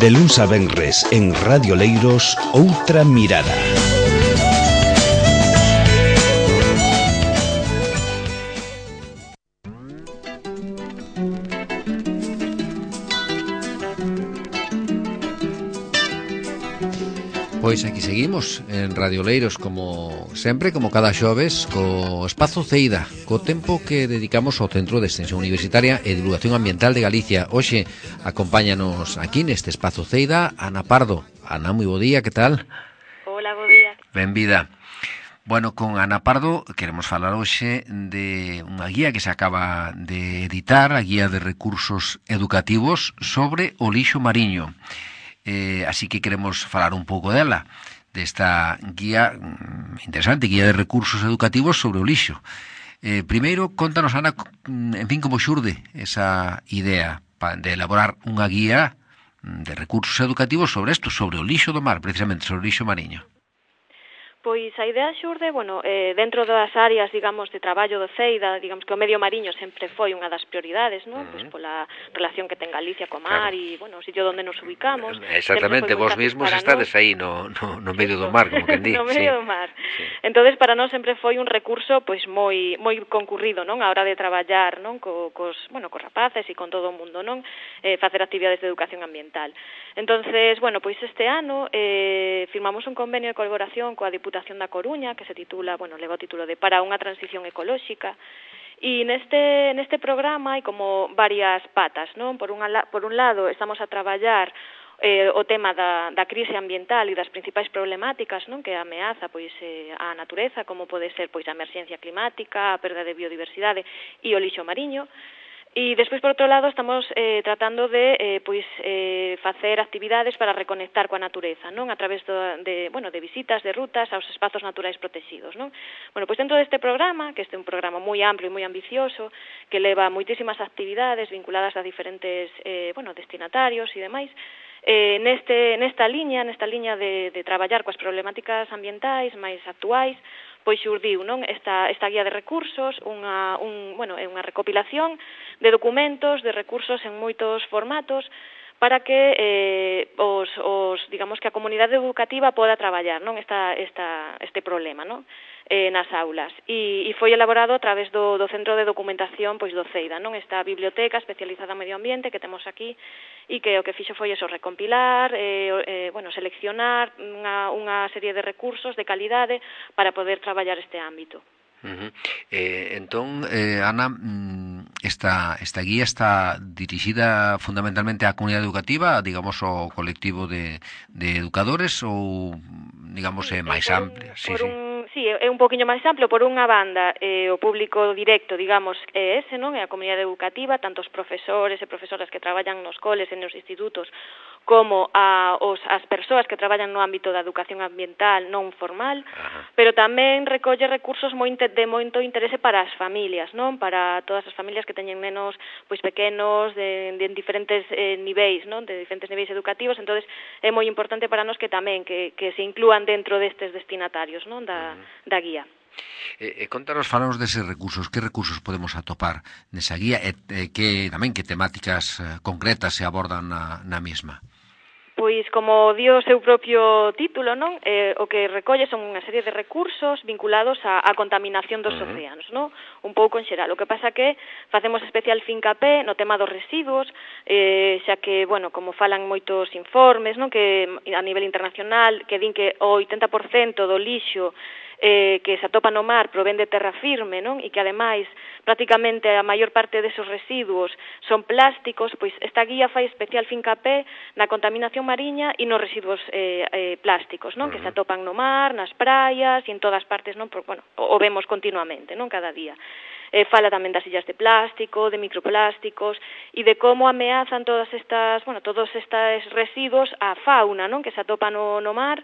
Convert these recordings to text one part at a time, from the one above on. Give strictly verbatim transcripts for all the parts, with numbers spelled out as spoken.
De luns a venres en Radio Leiros, Outra Mirada. Pois aquí seguimos en Radio Leiros, como sempre, como cada xoves, co Espazo Ceida, co tempo que dedicamos ao Centro de Extensión Universitaria e Divulgación Ambiental de Galicia. Hoxe acompáñanos aquí neste Espazo Ceida Ana Pardo. Ana, moi bo día, que tal? Hola, bo día. Benvida. Bueno, con Ana Pardo queremos falar hoxe de unha guía que se acaba de editar, a Guía de Recursos Educativos sobre o lixo mariño. Eh, así que queremos falar un pouco dela, desta guía interesante, Guía de Recursos Educativos sobre o lixo. Eh, primeiro, contanos, Ana, en fin, como xurde esa idea de elaborar unha guía de recursos educativos sobre isto, sobre o lixo do mar, precisamente, sobre o lixo mariño. Pois a idea xurde, bueno, eh, dentro das áreas, digamos, de traballo do Ceida, digamos que o medio mariño sempre foi unha das prioridades, non? Uh -huh. Pois pola relación que ten Galicia co mar, claro. E, bueno, o sitio onde nos ubicamos. Exactamente, vos mesmos estades nos... aí no, no, no medio do mar, como quen di. No medio sí. do mar. Sí. Entonces, para nós sempre foi un recurso, pois, moi moi concurrido, non? A hora de traballar, non? Co, cos, bueno, cos rapaces e con todo o mundo, non? Eh, facer actividades de educación ambiental. Entonces, bueno, pois este ano eh, firmamos un convenio de colaboración coa Diputación da Coruña, que se titula, bueno, leva o título de Para unha transición ecolóxica, e neste neste programa hai como varias patas, non? Por un por un lado, estamos a traballar eh, o tema da, da crise ambiental e das principais problemáticas, non? Que ameaza pois eh, a natureza, como pode ser pois a emerxencia climática, a perda de biodiversidade e o lixo mariño. E despois, por outro lado, estamos eh, tratando de eh, pois eh, facer actividades para reconectar coa natureza, non? A través do, de, bueno, de visitas, de rutas aos espazos naturais protegidos, non? Bueno, pois dentro deste programa, que este é un programa moi amplo e moi ambicioso, que leva moitísimas actividades vinculadas a diferentes eh, bueno, destinatarios e demais, eh, neste, nesta liña, nesta liña de, de traballar coas problemáticas ambientais máis actuais, pois xurdiu, non, esta esta guía de recursos, unha un, bueno, é unha recopilación de documentos, de recursos en moitos formatos para que eh, os, os digamos que a comunidade educativa poda traballar, non, esta esta este problema, non? Eh, nas aulas. E, e foi elaborado a través do, do Centro de Documentación pois do Ceida, non? Esta biblioteca especializada en medio ambiente que temos aquí e que o que fixo foi eso, recompilar, eh, eh, bueno, seleccionar unha, unha serie de recursos de calidade para poder traballar este ámbito. Uh-huh. Eh, entón, eh, Ana, esta, esta guía está dirixida fundamentalmente á comunidade educativa, digamos, ao colectivo de, de educadores ou, digamos, é máis amplia? Sí, sí. Sí, é un poquinho máis amplo. Por unha banda, eh, o público directo, digamos, é ese, non? É a comunidade educativa, tanto os profesores e profesoras que traballan nos coles e nos institutos, como a, os, as persoas que traballan no ámbito da educación ambiental non formal, ajá, pero tamén recolle recursos moi de moito interese para as familias, non? Para todas as familias que teñen nenos pois pequenos, de, de diferentes eh, niveis, non? De diferentes niveis educativos, entonces é moi importante para nós que tamén que, que se inclúan dentro destes destinatarios, non? Da, da guía. Eh, eh, contanos, falanos deses recursos, que recursos podemos atopar nesa guía e eh, que tamén que temáticas eh, concretas se abordan na, na mesma? Pois, como dio o seu propio título, non? Eh, o que recolle son unha serie de recursos vinculados á, á contaminación dos uh-huh. océanos, non? Un pouco en xeral. O que pasa que facemos especial fincapé no tema dos residuos, eh, xa que, bueno, como falan moitos informes, non? Que a nivel internacional, que din que o oitenta por cento do lixo eh, que se atopa no mar provén de terra firme, non? E que, ademais, prácticamente a maior parte desos residuos son plásticos, pois esta guía fai especial fincapé na contaminación mariña e nos residuos eh, eh, plásticos, non? Uh-huh. Que se atopan no mar, nas praias e en todas partes, non? Por, bueno, o vemos continuamente, non? Cada día. Eh, fala tamén das illas de plástico, de microplásticos e de como ameazan todas estas, bueno, todos estes residuos a fauna, non? Que se atopa no, no mar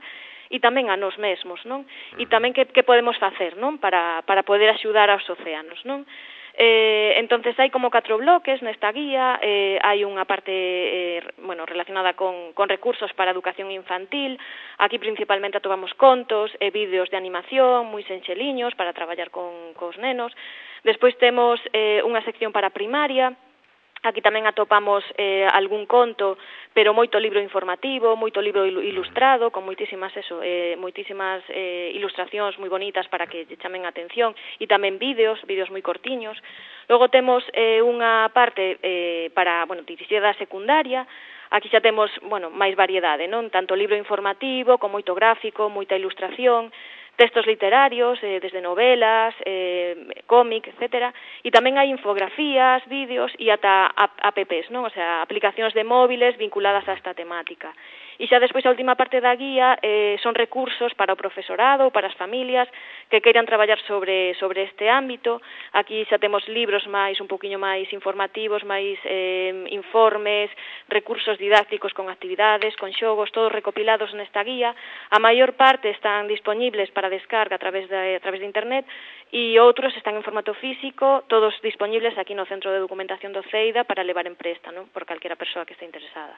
e tamén a nós mesmos, non? E tamén que, que podemos facer, non? Para, para poder axudar aos océanos, non? Eh, entonces hai como catro bloques nesta guía, eh, hai unha parte eh, bueno, relacionada con, con recursos para a educación infantil, aquí principalmente atopamos contos e vídeos de animación moi senxeliños para traballar con cos nenos. Despois temos eh, unha sección para primaria, Aquí tamén atopamos eh, algún conto, pero moito libro informativo, moito libro ilustrado, con moitísimas eso, eh, moitísimas eh, ilustracións moi bonitas para que lle chamen a atención, e tamén vídeos, vídeos moi cortiños. Logo temos eh, unha parte eh, para, bueno, dirixida a secundaria. Aquí xa temos, bueno, máis variedade, non? Tanto libro informativo, con moito gráfico, moita ilustración, textos literarios, eh, desde novelas, eh, cómic, etcétera, e tamén hai infografías, vídeos e ata apps, non? O sea, aplicacións de móviles vinculadas a esta temática. E xa despois a última parte da guía eh, son recursos para o profesorado, para as familias que queiran traballar sobre sobre este ámbito. Aquí xa temos libros máis, un poquinho máis informativos, máis eh, informes, recursos didácticos con actividades, con xogos, todos recopilados nesta guía. A maior parte están disponibles para descarga a través de, a través de internet e outros están en formato físico, todos disponibles aquí no Centro de Documentación do CEIDA para levar en presta, non? Por calquera persoa que este interesada.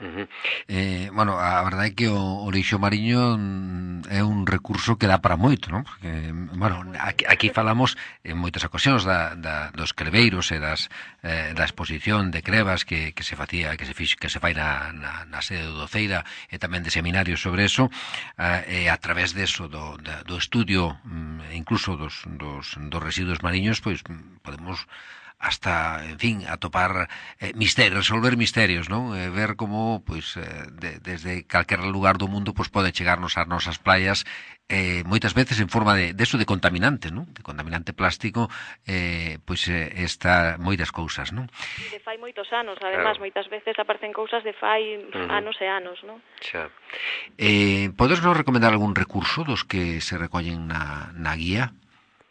Uh-huh. Eh, bueno, a verdade é que o, o lixo mariño é un recurso que dá para moito, non? Porque, bueno, aquí, aquí falamos en moitas ocasións da, da, dos creveiros e das, eh, da exposición de crevas que, que se facía, que se fix, que se fai na, na, na sede do Ceira e tamén de seminarios sobre eso, eh, e a través deso do, do estudio incluso dos, dos, dos residuos mariños, pois podemos hasta, en fin, atopar eh, misterios, resolver misterios, non? Eh, ver como, pois, eh, de, desde calquer lugar do mundo, pois, pode chegarnos ás nosas playas, eh, moitas veces en forma de, de eso de contaminante, non? De contaminante plástico, eh, pois, eh, está moitas cousas, non? De fai moitos anos, además, claro. Moitas veces aparecen cousas de fai uh-huh. anos e anos, non? Xa. Eh, podes nos recomendar algún recurso dos que se recollen na, na guía?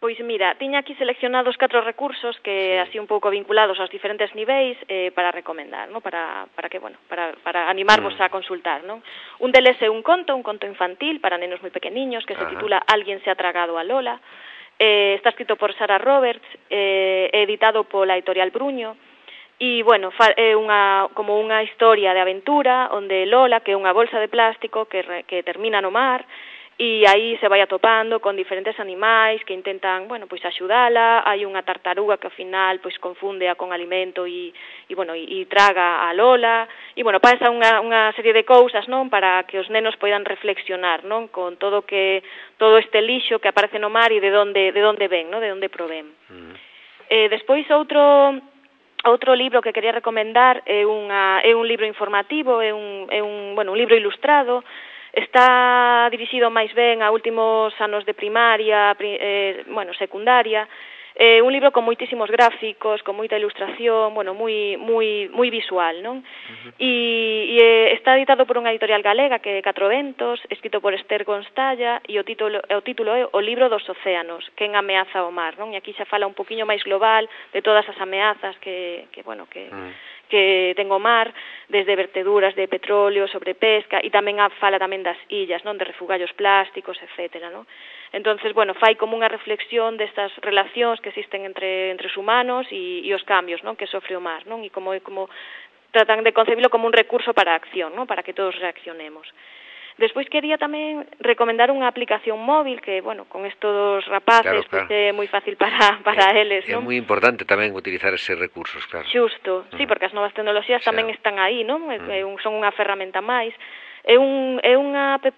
Pois mira, tiña aquí seleccionados catro recursos que así un pouco vinculados aos diferentes niveis eh, para recomendar, ¿no? Para, para que, bueno, para, para animarvos mm. a consultar, ¿no? Un deles é un conto, un conto infantil para nenos moi pequeniños que Ajá. se titula Alguien se ha tragado a Lola. Eh, está escrito por Sara Roberts, eh, editado pola editorial Bruño. E, bueno, é unha, como unha historia de aventura onde Lola, que é unha bolsa de plástico que, re, que termina no mar, e aí se vai atopando con diferentes animais que intentan, bueno, pois axudala. Hai unha tartaruga que ao final pois confúndea con alimento e, e bueno, e, e traga a Lola. E bueno, pasa unha, unha serie de cousas, non, para que os nenos poidan reflexionar, non, con todo que todo este lixo que aparece no mar e de onde de onde ven, non, de onde provén. Mm. Eh, despois outro Outro libro que quería recomendar é unha é un libro informativo, é un é un, bueno, un libro ilustrado. Está dirixido máis ben a últimos anos de primaria, eh, bueno, secundaria. Eh, un libro con moitísimos gráficos, con moita ilustración, bueno, moi moi moi visual, non? Uh-huh. E, e está editado por unha editorial galega que é Catro Ventos, escrito por Esther Gonstalla, e o título o título é O libro dos océanos, quen ameaza o mar, non? E aquí xa fala un poquiño máis global de todas as ameazas que que bueno, que uh-huh. que ten o mar, desde verteduras de petróleo, sobre pesca, e tamén a fala tamén das illas, non, de refugallos plásticos, etcétera, non? Entonces, bueno, fai como unha reflexión destas relacións que existen entre entre os humanos e, e os cambios, non, que sofre o mar, non? E como como tratan de concebirlo como un recurso para a acción, non, para que todos reaccionemos. Despois quería tamén recomendar unha aplicación móvil que, bueno, con estos rapaces, claro, claro. Pues, é moi fácil para para é, eles, non? É moi importante tamén utilizar eses recursos, claro. Xusto, uh-huh. Sí, porque as novas tecnoloxías sí. tamén están aí, non? Uh-huh. Son unha ferramenta máis. É, un, é unha app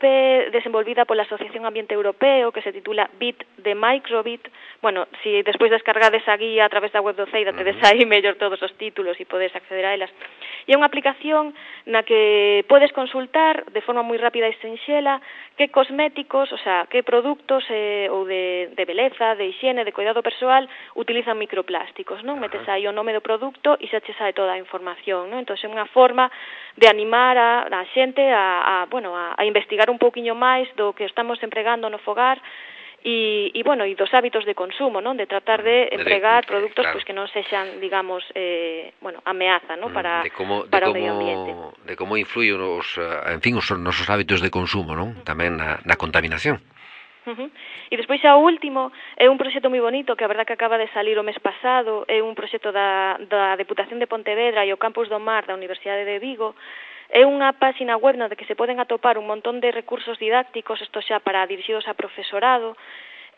desenvolvida pola Asociación Ambiente Europeo que se titula Bit de Microbit. Bueno, si despois descargades a guía a través da web do CEIDA, uh-huh. tedes aí mellor todos os títulos e podes acceder a elas. E é unha aplicación na que podes consultar de forma moi rápida e sinxela que cosméticos, o sea, que produtos eh, ou de, de beleza, de higiene, de cuidado persoal utilizan microplásticos, non? Uh-huh. Metes aí o nome do produto e xa che sae toda a información, non? Entón é unha forma de animar a, a xente a A, bueno, a, a investigar un pouquiño máis do que estamos empregando no fogar e, e bueno, e dos hábitos de consumo, non? De tratar de empregar produtos claro. Pues, que non sexan, digamos, eh, bueno, ameaza, non? Para, de como, para de o medio como, ambiente. De como influyen os, en fin, os nosos hábitos de consumo, non? Tamén na, na contaminación. Uh-huh. E despois xa o último é un proxecto moi bonito que a verdad que acaba de salir o mes pasado, é un proxecto da, da Deputación de Pontevedra e o Campus do Mar da Universidade de Vigo. É unha páxina web na que se poden atopar un montón de recursos didácticos, isto xa para dirixidos a profesorado,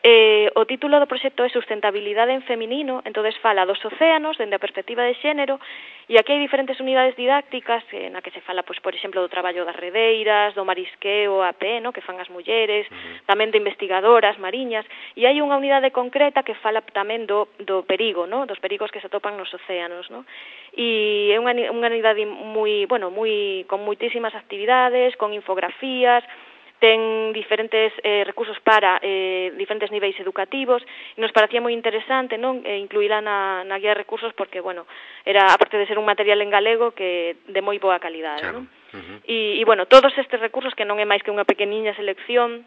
Eh, o título do proxecto é Sustentabilidade en Feminino, entonces fala dos océanos dende a perspectiva de xénero, e aquí hai diferentes unidades didácticas eh, na que se fala, pois, por exemplo, do traballo das redeiras, do marisqueo a pé, no, que fan as mulleres, uh-huh. tamén de investigadoras mariñas, e hai unha unidade concreta que fala tamén do, do perigo, no, dos perigos que se atopan nos océanos, no, e é unha, unha unidade moi, bueno, moi, con moitísimas actividades, con infografías, ten diferentes eh, recursos para eh, diferentes niveis educativos, e nos parecía moi interesante, non, eh, incluíla na, na guía de recursos porque, bueno, era, aparte de ser un material en galego, que de moi boa calidade, claro. Non? Uh-huh. E, e, bueno, todos estes recursos, que non é máis que unha pequeniña selección,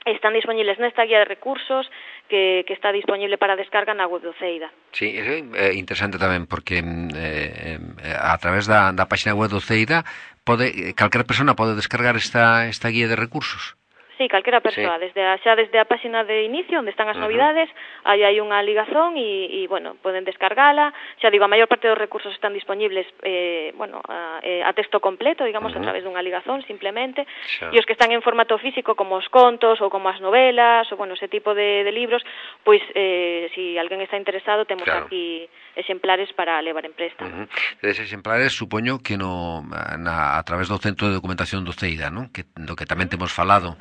están disponibles nesta guía de recursos que, que está disponible para descarga na web do CEIDA. Sí, é eh, interesante tamén porque eh, eh, a través da, da página web do CEIDA pode, calquera persona pode descargar esta, esta guía de recursos. Sí, calquera persoa, sí. desde a, xa desde a página de inicio, onde están as uh-huh. novidades, aí hai unha ligazón e, e, bueno, poden descargala. Xa digo, a maior parte dos recursos están disponibles, eh, bueno, a, a texto completo, digamos, uh-huh. a través dunha ligazón, simplemente, xa. E os que están en formato físico, como os contos, ou como as novelas, ou, bueno, ese tipo de, de libros, pois, eh, si alguén está interesado, temos claro. aquí exemplares para levar en préstamo. Uh-huh. Eses exemplares, supoño que no, na, a través do Centro de Documentación do CEIDA, non? Que, do que tamén temos falado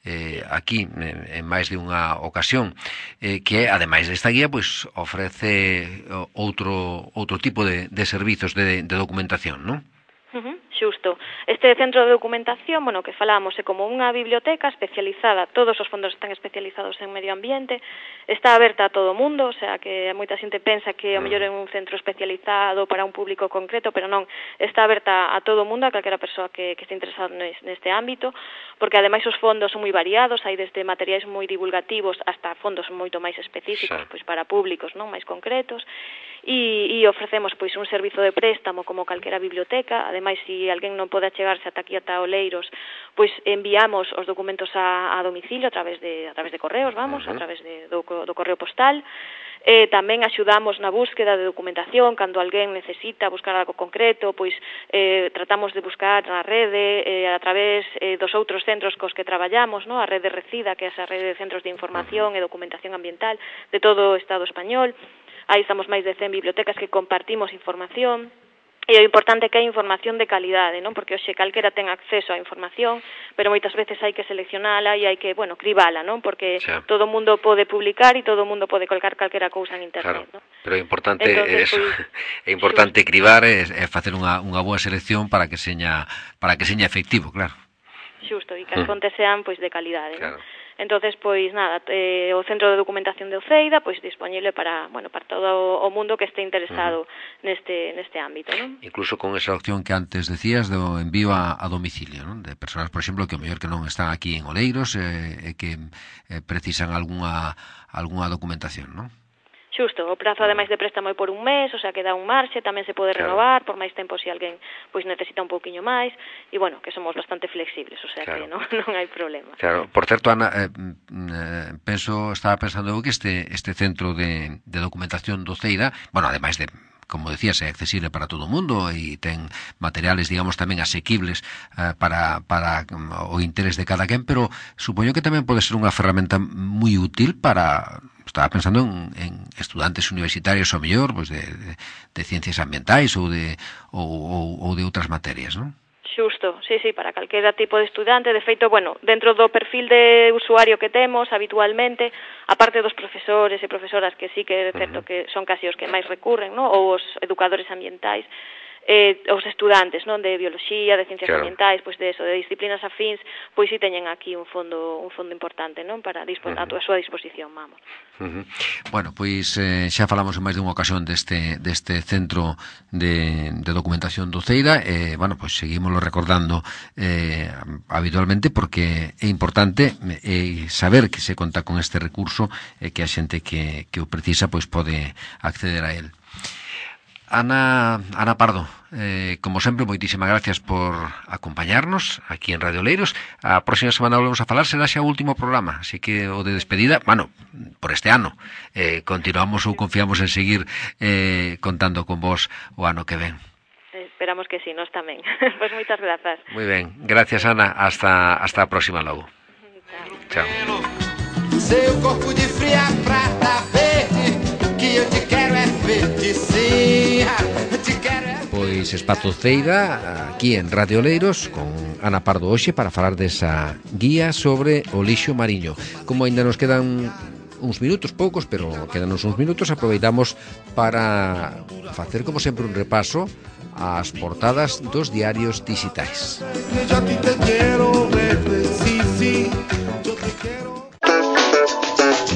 eh, aquí en, en máis de unha ocasión, eh, que ademais desta guía pois ofrece outro outro tipo de, de servizos de, de documentación, non? Uh-huh, xusto. Este centro de documentación, bueno, que falamos, é como unha biblioteca especializada, todos os fondos están especializados en medio ambiente, está aberta a todo o mundo, o sea, que moita xente pensa que ao mellor é un centro especializado para un público concreto, pero non, está aberta a todo o mundo, a calquera persoa que, que este interesado neste ámbito, porque ademais os fondos son moi variados, hai desde materiais moi divulgativos hasta fondos moito máis específicos, pois para públicos, non, máis concretos, e, e ofrecemos pois un servizo de préstamo como calquera biblioteca. Ademais, se alguén non pode achegarse ata aquí ata Oleiros, pois enviamos os documentos a, a domicilio a través de a través de correos, vamos, uh-huh. a través de, do, do correo postal. Eh, tamén axudamos na búsqueda de documentación cando alguén necesita buscar algo concreto, pois eh, tratamos de buscar na rede eh, a través eh, dos outros centros cos que traballamos, no? A rede Recida, que é esa rede de centros de información e documentación ambiental de todo o Estado español. Aí estamos máis de cen bibliotecas que compartimos información. E o importante é que hai información de calidade, non? Porque hoxe calquera ten acceso á información, pero moitas veces hai que seleccionala e hai que, bueno, cribala, non? Porque xa. Todo o mundo pode publicar e todo o mundo pode colgar calquera cousa en internet, claro. Non? Pero é importante Entonces, eso, pues, é importante xusto. cribar e, e facer unha, unha boa selección para que seña para que seña efectivo, claro. Xusto, e que as fontes sean pois de calidade, claro. Non? Entonces, pois nada, eh, o Centro de Documentación de CEIDA, pois disponible para, bueno, para todo o mundo que este interesado uh-huh. neste neste ámbito, non? Incluso con esa opción que antes decías do envío a, a domicilio, non? De persoas, por exemplo, que o mellor que non están aquí en Oleiros e eh, que eh, precisan algunha algunha documentación, non? Xusto, o prazo ademais de préstamo é por un mes, o sea que dá un marxe, tamén se pode claro. renovar por máis tempo se alguén pois necesita un pouquiño máis, e bueno, que somos bastante flexibles, o sea claro. que non, non hai problema. Claro, por certo, Ana, eh, eh, penso, estaba pensando eu que este este centro de, de documentación do CEIDA, bueno, ademais de, como decías, é accesible para todo o mundo e ten materiales, digamos, tamén asequibles eh, para, para o interés de cada quen, pero supoño que tamén pode ser unha ferramenta moi útil para... Estaba pensando en, en estudantes universitarios ao mellor, pois de, de, de ciencias ambientais ou de ou, ou, ou de outras materias, non? Xusto, sí, sí, para calquera tipo de estudante. De feito, bueno, dentro do perfil de usuario que temos habitualmente, aparte dos profesores e profesoras que sí que é certo uh-huh. que son casi os que máis recurren, ¿no? Ou os educadores ambientais, eh, os estudantes, non, de bioloxía, de ciencias claro. ambientais, pois de eso, de disciplinas afíns, pois si sí teñen aquí un fondo un fondo importante, non, para dispon, uh-huh. a súa disposición, vamos. Uh-huh. Bueno, pois eh, xa falamos en máis de unha ocasión deste deste centro de, de documentación do CEIDA, e eh, bueno, pois seguímoslo recordando eh, habitualmente porque é importante eh, saber que se conta con este recurso e eh, que a xente que, que o precisa pois pode acceder a él. Ana, Ana Pardo, eh, como sempre, moitísimas gracias por acompañarnos aquí en Radio Oleiros. A próxima semana volvemos a falar, será xa o último programa, así que o de despedida, bueno, por este ano, eh, continuamos ou confiamos en seguir eh, contando con vos o ano que ven. Esperamos que sí, nós tamén. Pois pues moitas grazas. Moi ben, gracias Ana, hasta, hasta a próxima logo. Chao. Chao. seu corpo de fria prata verde, que eu te quero é verde, sim, te quero é verde. Pois Espazo Ceira, aquí en Radio Oleiros, con Ana Pardo hoxe para falar desa guía sobre o lixo mariño. Como aínda nos quedan uns minutos, poucos, pero quedanos uns minutos, aproveitamos para facer, como sempre, un repaso ás portadas dos diarios digitais.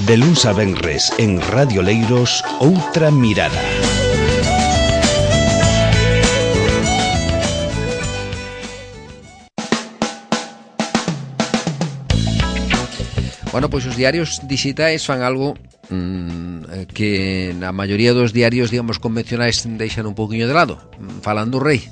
De luns a venres en Radio Oleiros, Outra Mirada. Bueno, pois os diarios digitais fan algo mmm, que na maioría dos diarios, digamos, convencionais deixan un pouquiño de lado. Falan do rei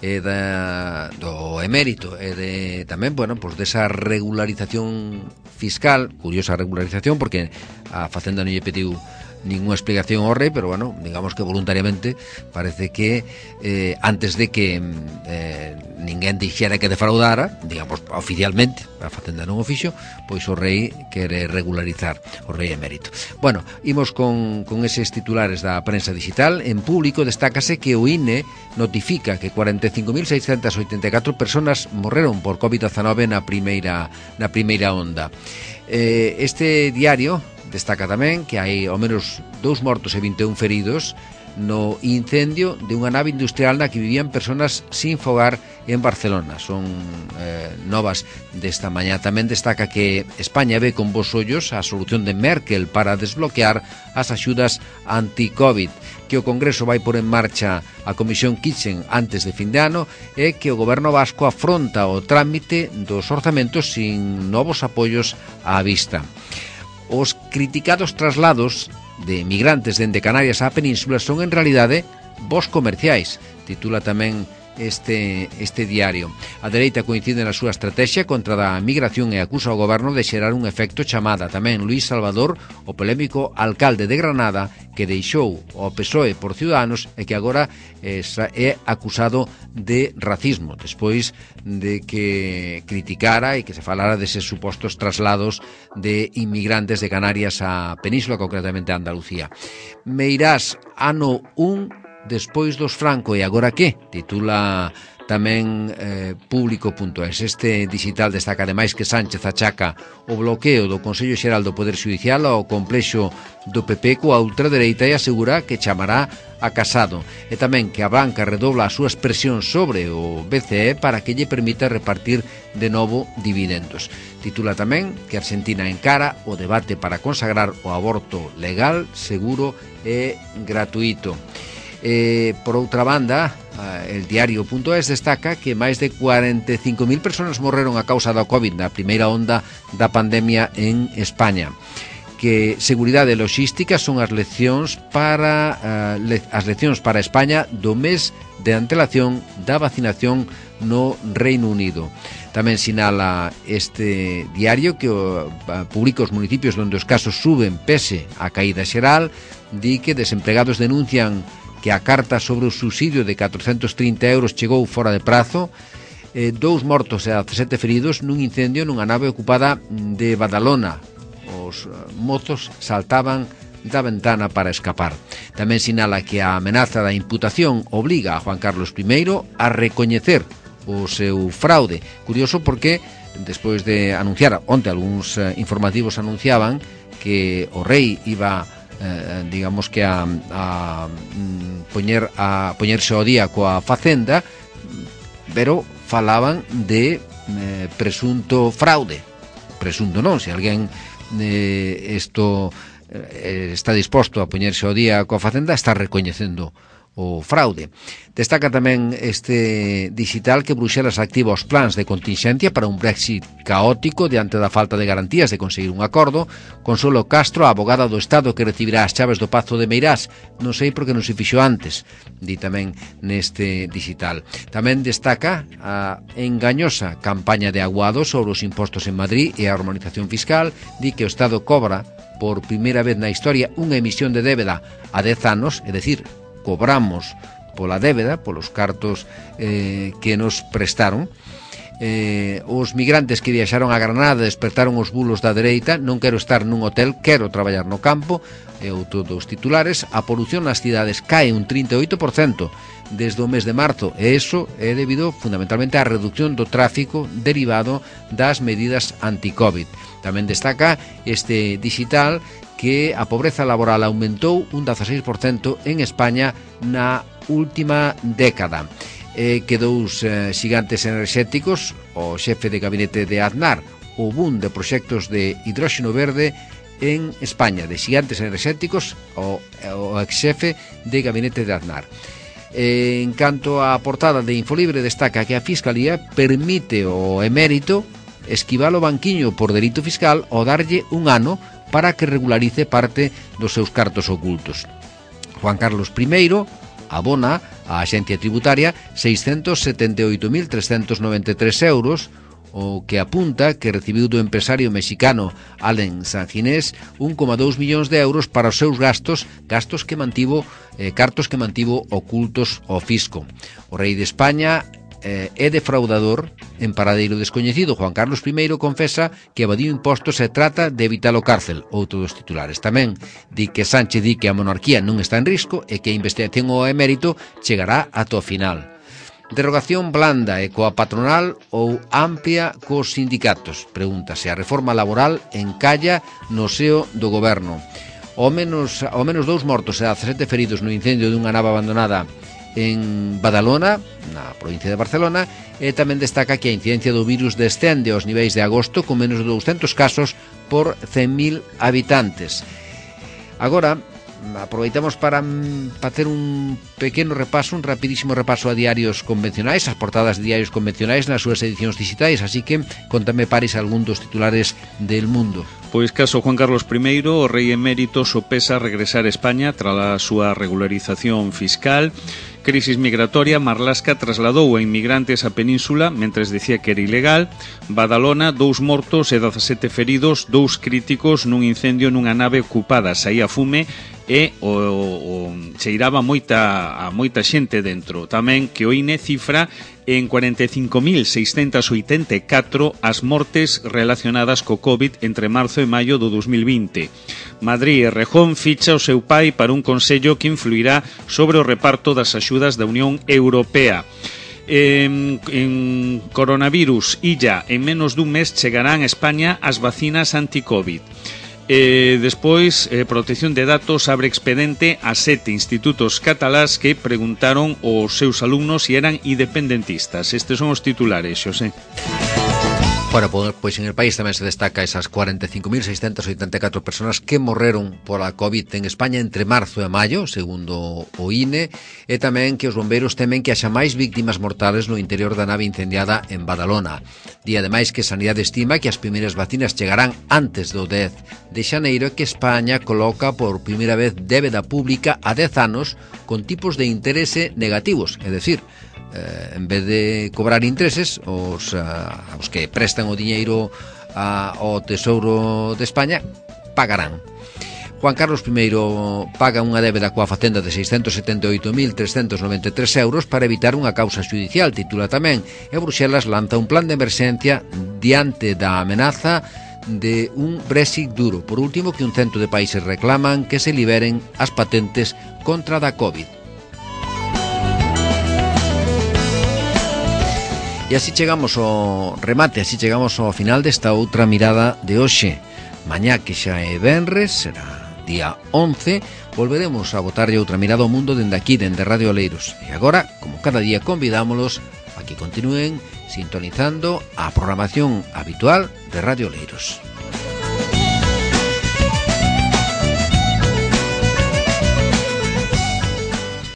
e da, do emérito e de, tamén, bueno, pois desa regularización fiscal, curiosa regularización, porque a Facenda non lle pediu ninguna explicación ao rei, pero bueno, digamos que voluntariamente parece que eh, antes de que eh, ninguén dixera que defraudara, digamos, oficialmente, a Facenda non o fixo, pois o rei quere regularizar, o rei emérito. Bueno, imos con, con eses titulares da prensa digital. En Público destácase que o I N E notifica que cuarenta e cinco mil seiscentas oitenta e catro personas morreron por covid diecinueve na primeira, na primeira onda. Eh, este diario destaca tamén que hai ao menos dous mortos e vinte e un feridos no incendio de unha nave industrial na que vivían persoas sin fogar en Barcelona. Son eh, novas desta mañá. Tamén destaca que España ve con bons ollos a solución de Merkel para desbloquear as axudas anti-Covid, que o Congreso vai por en marcha a Comisión Kitchen antes de fin de ano e que o Goberno vasco afronta o trámite dos orzamentos sin novos apoios á vista. Os criticados traslados de migrantes dende Canarias á Península son en realidade voos comerciais, titula tamén este, este diario. A dereita coincide na súa estrategia contra a migración e acusa ao goberno de xerar un efecto chamada. Tamén Luís Salvador, o polémico alcalde de Granada, que deixou o P S O E por Ciudadanos e que agora é acusado de racismo, despois de que criticara e que se falara deses supostos traslados de inmigrantes de Canarias á Península, concretamente a Andalucía. Meirás, ano un despois dos Franco e agora que? Titula tamén eh, Público punto es. Este digital destaca ademais que Sánchez achaca o bloqueo do Consello Xeral do Poder Xudicial ao complexo do P P coa ultradereita e asegura que chamará a Casado. E tamén que a banca redobla as súas presións sobre o B C E para que lle permita repartir de novo dividendos. Titula tamén que Argentina encara o debate para consagrar o aborto legal, seguro e gratuito. Eh, por outra banda, el diario punto es destaca que máis de cuarenta e cinco mil persoas morreron a causa da Covid na primeira onda da pandemia en España. Que seguridade e logística son as leccións para uh, le, as leccións para España do mes de antelación da vacinación no Reino Unido. Tamén sinala este diario que uh, publica os municipios onde os casos suben pese a caída xeral, di que desempregados denuncian que a carta sobre o subsidio de catrocentos trinta euros chegou fora de prazo, eh, dous mortos e dezasete feridos nun incendio nunha nave ocupada de Badalona. Os mozos saltaban da ventana para escapar. Tamén sinala que a amenaza da imputación obriga a Juan Carlos primeiro a recoñecer o seu fraude. Curioso porque despois de anunciar, onte algúns eh, informativos anunciaban que o rei iba Eh, digamos que a, a poñer a poñerse ao día coa Facenda, pero falaban de eh, presunto fraude. Presunto non, se alguén eh, isto eh, está disposto a poñerse ao día coa Facenda, está recoñecendo o fraude. Destaca tamén este digital que Bruxelas activa os plans de continxencia para un Brexit caótico diante da falta de garantías de conseguir un acordo. Consuelo Castro, a abogada do Estado que recibirá as chaves do Pazo de Meirás, non sei por que non se fixo antes, di tamén neste digital. Tamén destaca a engañosa campaña de Aguado sobre os impostos en Madrid e a harmonización fiscal, di que o Estado cobra por primeira vez na historia unha emisión de débeda a dez anos, é dicir, cobramos pola débeda, polos cartos eh, que nos prestaron, eh, os migrantes que viaxaron a Granada despertaron os bulos da dereita, non quero estar nun hotel, quero traballar no campo, e outro dos titulares, a polución nas cidades cae un trinta e oito por cento desde o mes de marzo, e iso é debido fundamentalmente á reducción do tráfico derivado das medidas anti-Covid. Tamén destaca este digital que a pobreza laboral aumentou un dezaseis por cento en España na última década. Eh, que dous eh, xigantes enerxéticos, o xefe de gabinete de Aznar, o boom de proxectos de hidróxeno verde en España, de xigantes enerxéticos, o, o ex-xefe de gabinete de Aznar. Eh, en canto á portada de Infolibre, destaca que a Fiscalía permite ao emérito esquivar o banquiño por delito fiscal ou darlle un ano para que regularice parte dos seus cartos ocultos. Juan Carlos I abona á Axencia Tributaria seiscentos setenta e oito mil trescentos noventa e tres euros, o que apunta que recibiu do empresario mexicano Allen Sanginés un coma dous millóns de euros para os seus gastos, gastos que mantivo, eh, cartos que mantivo ocultos ao fisco. O rei de España eh, é defraudador en paradeiro descoñecido. Juan Carlos I confesa que evadiu impostos e trata de evitar o cárcel, outro dos titulares. Tamén di que Sánchez di que a monarquía non está en risco e que a investigación ao emérito chegará ata o final. Derogación blanda e coa patronal ou amplia cos sindicatos? Pregúntase. A reforma laboral encalla no seo do goberno. Ao menos, ao menos dous mortos e dezasete feridos no incendio dunha nave abandonada en Badalona, na provincia de Barcelona, e tamén destaca que a incidencia do virus descende aos niveis de agosto con menos de douscentos casos por cen mil habitantes. Agora, aproveitamos para facer un pequeno repaso, un rapidísimo repaso a diarios convencionais, as portadas de diarios convencionais nas súas edicións digitais, así que contame, Paris, algún dos titulares del Mundo. Pois caso Juan Carlos I, o rei emérito sopesa regresar a España tras a súa regularización fiscal. Crisis migratoria, Marlaska trasladou a inmigrantes á península mentres decía que era ilegal. Badalona, dous mortos e dezasete feridos, dous críticos nun incendio nunha nave ocupada. Saía fume e o, o, cheiraba moita, a moita xente dentro. Tamén que o I N E cifra en cuarenta e cinco mil seiscentos oitenta e catro as mortes relacionadas co COVID entre marzo e maio do dos mil vinte. Madrid e Rejón ficha o seu pai para un consello que influirá sobre o reparto das axudas da Unión Europea. En, en coronavirus, illa, en menos dun mes chegarán a España as vacinas anti-COVID. E despois, eh, Protección de Datos abre expedente a sete institutos catalás que preguntaron aos seus alumnos se eran independentistas. Estes son os titulares, Xosé. Bueno, pois en el país tamén se destaca esas cuarenta e cinco mil seiscentos oitenta e catro personas que morreron pola COVID en España entre marzo e maio, segundo o I N E, e tamén que os bombeiros temen que haxa máis víctimas mortales no interior da nave incendiada en Badalona. Di ademais que Sanidade estima que as primeiras vacinas chegarán antes do dez de xaneiro e que España coloca por primeira vez débeda pública a dez anos con tipos de interese negativos, é dicir, Eh, en vez de cobrar intereses os, uh, os que prestan o diñeiro uh, ao Tesouro de España pagarán. Juan Carlos I paga unha débeda coa Facenda de seiscentos setenta e oito mil trescentos noventa e tres euros para evitar unha causa judicial, titula tamén, e Bruxelas lanza un plan de emerxencia diante da amenaza de un Brexit duro. Por último, que un cento de países reclaman que se liberen as patentes contra da COVID. E así chegamos ao remate, así chegamos ao final desta outra mirada de hoxe. Mañá, que xa é venres, será día once, volveremos a botarlle outra mirada ao mundo dende aquí, dende Radio Oleiros. E agora, como cada día, convidámolos a que continúen sintonizando a programación habitual de Radio Oleiros.